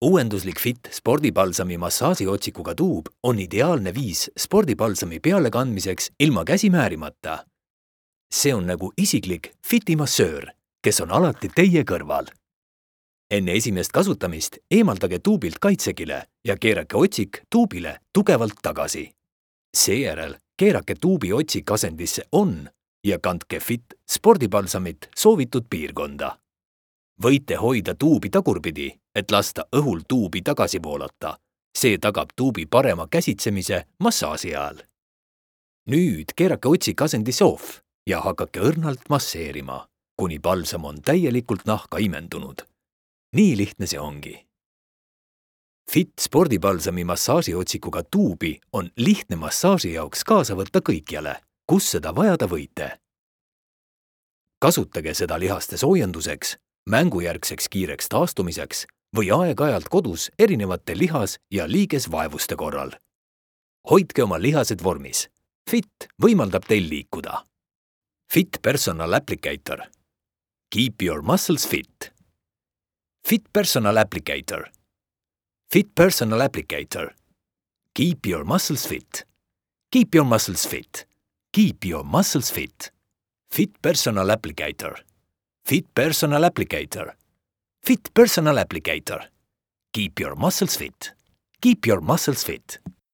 Uuenduslik Fit spordipalsami massaažiotsikuga tuub on ideaalne viis spordipalsami pealekandmiseks ilma käsi määrimata. See on nagu isiklik Fiti massöör, kes on alati teie kõrval. Enne esimest kasutamist eemaldage tuubilt kaitsekile ja keerake otsik tuubile tugevalt tagasi. Seejärel keerake tuubi otsik asendisse on ja kandke Fit spordipalsamit soovitud piirkonda. Võite hoida tuubi tagurpidi, et lasta õhul tuubi tagasi voolata. See tagab tuubi parema käsitsemise massaaži ajal. Nüüd keerake otsik asendisse off ja hakake õrnalt masseerima, kuni palsam on täielikult nahka imendunud. Nii lihtne see ongi. Fit spordipalsami massaažiotsikuga tuubi on lihtne massaaži jaoks kaasa võtta kõikjale, kus seda vajada võite. Kasutage seda lihaste soojenduseks, mängujärgseks kiireks taastumiseks või aeg-ajalt kodus erinevate lihas- ja liigesvaevuste korral. Hoidke oma lihased vormis. Fit võimaldab teil liikuda. Fit Personal Applicator. Keep your muscles fit. Fit Personal Applicator. Fit Personal Applicator. Keep your muscles fit. Keep your muscles fit. Keep your muscles fit. Fit Personal Applicator. Fit Personal Applicator. Fit Personal Applicator. Keep your muscles fit. Keep your muscles fit.